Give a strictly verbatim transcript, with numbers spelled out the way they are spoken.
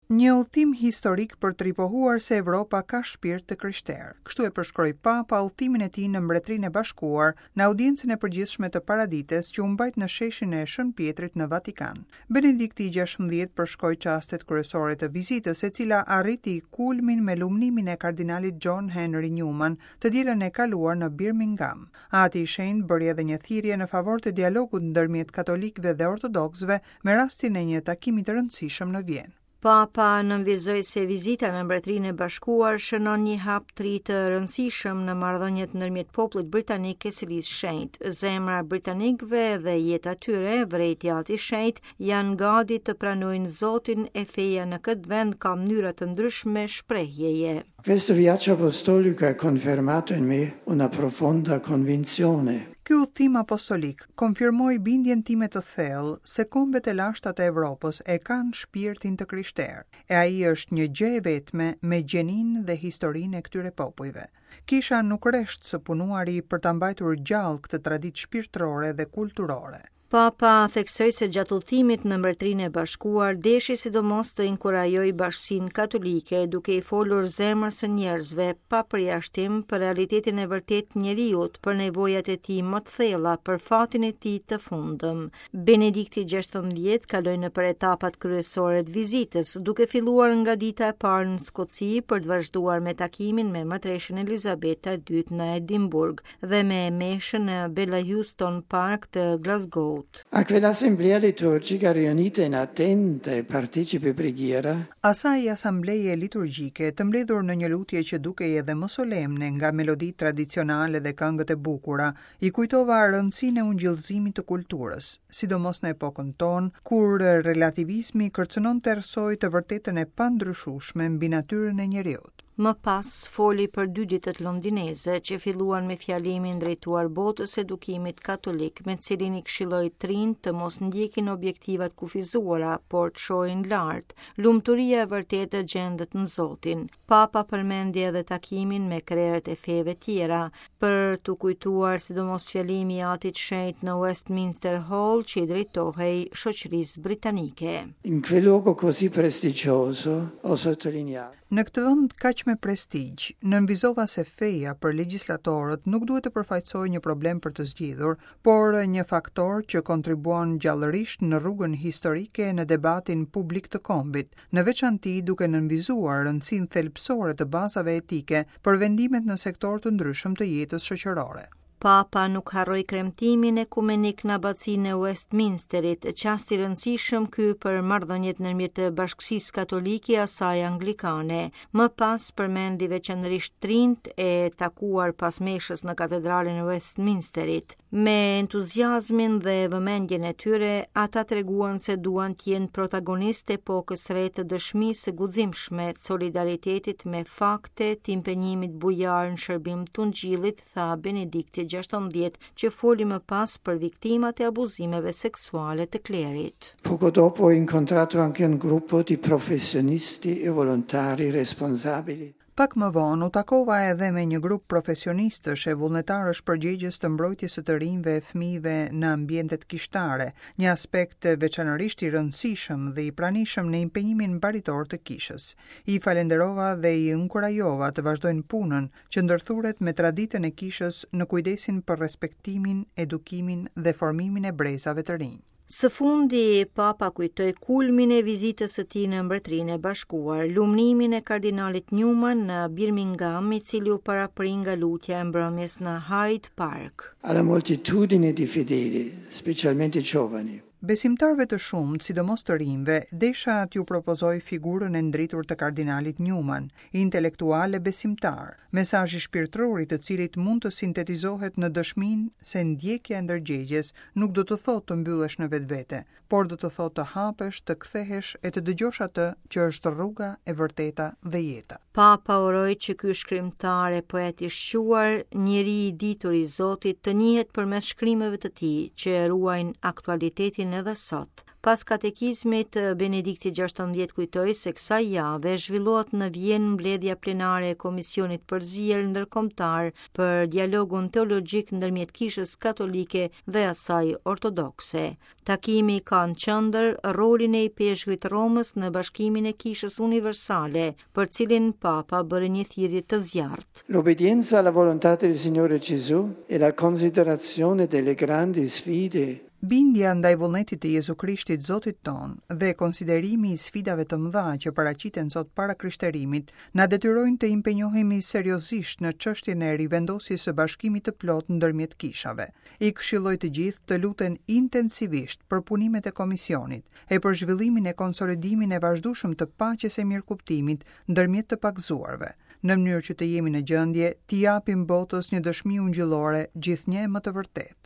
Një udhtim historik për të ripohuar se Evropa ka shpirt të krishterë. Kështu e përshkroi Papa udhtimin e tij në Mbretërinë e Bashkuar në audiencën e përgjithshme të paradites që u mbajt në sheshin e Shën Pietrit në Vatikan. Benedikti i gjashtëmbëdhjetë përshkoi çastet kryesore të vizitës, e cila arriti kulmin me lumnimin e kardinalit John Henry Newman të dielën e kaluar në Birmingham. Ati i Shenjtë bëri edhe një thirrje në favor të dialogut ndërmjet katolikëve dhe ortodoksëve me rastin e një takimi të rëndësishëm në Vjenë. Papa nënvizoi se vizita në Mbretërinë e Bashkuar shënon një hap të ri të rëndësishëm në marrëdhëniet ndërmjet popullit britanik e Selisë Shenjtë. Zemra e britanikëve dhe jeta e tyre, vërejti Ati i Shenjtë, janë gati të pranojnë Zotin e feja në këtë vend ka mënyra të ndryshme shprehjeje. Questo viaggio apostolico ha confermato in me una profonda convinzione. Ky udhtim apostolik konfirmoi bindjen time të thellë se kombet e lashta të Evropës e kanë shpirtin të krishterë, e ai është një gjë e vetme me gjenin dhe historinë e këtyre popujve. Kisha nuk resht së punuari për ta mbajtur gjallë këtë traditë shpirtërore dhe kulturore. Papa theksoi se gjatë udhtimit në Mbretërinë e Bashkuar deshi sidomos të inkurajojë bashkësinë katolike duke i folur zemrës së njerëzve pa përjashtim për realitetin e vërtetë të njeriut, për nevojat e tij më të thella, për fatin e tij të fundëm. Benedikti gjashtëmbëdhjetë kaloi nëpër etapat kryesore të vizitës, duke filluar nga dita e parë në Skoci për të vazhduar me takimin me mbretëreshën Elizabeta e dytë në Edinburgh dhe me meshën në Bellahouston Park të Glasgow. A quell'assemblea liturgica riunita in attenta e partecipe preghiera, Asaj asambleje liturgjike të mbledhur në një lutje që dukej edhe më solemne nga meloditë tradicionale dhe këngët e bukura, i kujtova rëndësinë e ungjillzimit të kulturës, sidomos në epokën tonë, kur relativizmi kërcënon të errësojë të vërtetën e pandryshueshme mbi natyrën e njeriut. Më pas foli për dy ditët londineze që filluan me fjalimin drejtuar botës së edukimit katolik, me cilin i këshilloi të rinjtë të mos ndjekin objektivat kufizuara, por të shohin lart. Lumturia e vërtetë gjendet në Zotin. Papa përmendi edhe takimin me krerët e feve tjera, për t'u kujtuar sidomos fjalimi i Atit Shenjt në Westminster Hall që i drejtohej shoqërisë britanike. In quel luogo così prestigioso ho sottolineato Në këtë vend kaq me prestigj, nënvizova se feja për legjislatorët nuk duhet të përfaqësojë një problem për të zgjidhur, por një faktor që kontribuon gjallërisht në rrugën historike në debatin publik të kombit, në veçanti duke nënvizuar rëndësinë thelbësore të bazave etike për vendimet në sektorë të ndryshëm të jetës shoqërore. Papa nuk harroi kremtimin ekumenik në abacinë e Westminsterit, çast i rëndësishëm ky për marrëdhëniet ndërmjet bashkësisë katolike e asaj anglikane. Më pas përmendi veçanërisht trinjt e takuar pas meshës në katedralen e Westminsterit. Me entuziazmin dhe vëmendjen e tyre, ata treguan se duan të jenë protagonistë të epokës re të dëshmisë së guximshme, të solidaritetit me fakte, të impenjimit bujar në shërbim të Ungjillit, tha Benedikti gjashtëmbëdhjetë, që foli më pas për viktimat e abuzimeve seksuale të klerit. Poco dopo ho incontrato anche un gruppo di professionisti e volontari responsabili. Pak më vonë u takova edhe me një grup profesionistësh e vullnetarësh përgjegjës të mbrojtjes së të rinjve e fëmijëve në ambientet kishtare, një aspekt veçanërisht i rëndësishëm dhe i pranishëm në impenjimin baritor të kishës. I falenderova dhe i inkurajova të vazhdojnë punën që ndërthuret me traditën e kishës në kujdesin për respektimin, edukimin dhe formimin e brezave të rinj. Së fundi, Papa kujtoi kulmin e vizitës së tij në Mbretërinë e Bashkuar, lumnimin e kardinalit Newman në Birmingham, i cili u parapri nga lutja e mbrëmjes në Hyde Park. Alla moltitudine di fedeli, specialmente giovani. Besimtarëve të shumtë, sidomos të rinjve, desha t'ju propozoj figurën e ndritur të kardinalit Newman, intelektual e besimtar, mesazhi shpirtëror i të cilit mund të sintetizohet në dëshminë se ndjekja e ndërgjegjes nuk do të thotë të mbyllesh në vetvete, por do të thotë të hapesh, të kthehesh e të dëgjosh atë që është rruga e vërteta dhe jeta. Papa uroi që ky shkrimtar e poet i shquar, njeri i ditur i Zotit, të njihet përmes shkrimeve të tij që e ruajnë aktualitetin edhe sot. Pas katekizmit, Benedikti gjashtëmbëdhjetë kujtoi se kësaj jave zhvillohet në Vjenë mbledhja plenare e Komisionit Përzier Ndërkombëtar për dialogun teologjik ndërmjet Kishës Katolike dhe asaj Ortodokse. Takimi ka në qendër rolin e Ipeshkvit Romës në bashkimin e Kishës Universale, për cilin Papa bëri një thirrje të zjarrt. L'obbedienza alla volontà del Signore Gesù e la considerazione delle grandi sfide. Bindja ndaj vullnetit të Jezu Krishtit Zotit tonë dhe konsiderimi i sfidave të mëdha që paraqiten sot para krishterimit na detyrojnë të impenjohemi seriozisht në çështjen e rivendosjes së bashkimit të plotë ndërmjet kishave. I këshilloj të gjithë të luten intensivisht për punimet e komisionit e për zhvillimin e konsolidimin e vazhdueshëm të paqes e mirëkuptimit ndërmjet të pagëzuarve, në mënyrë që të jemi në gjendje t'i japim botës një dëshmi ungjillore gjithnjë e më të vërtetë.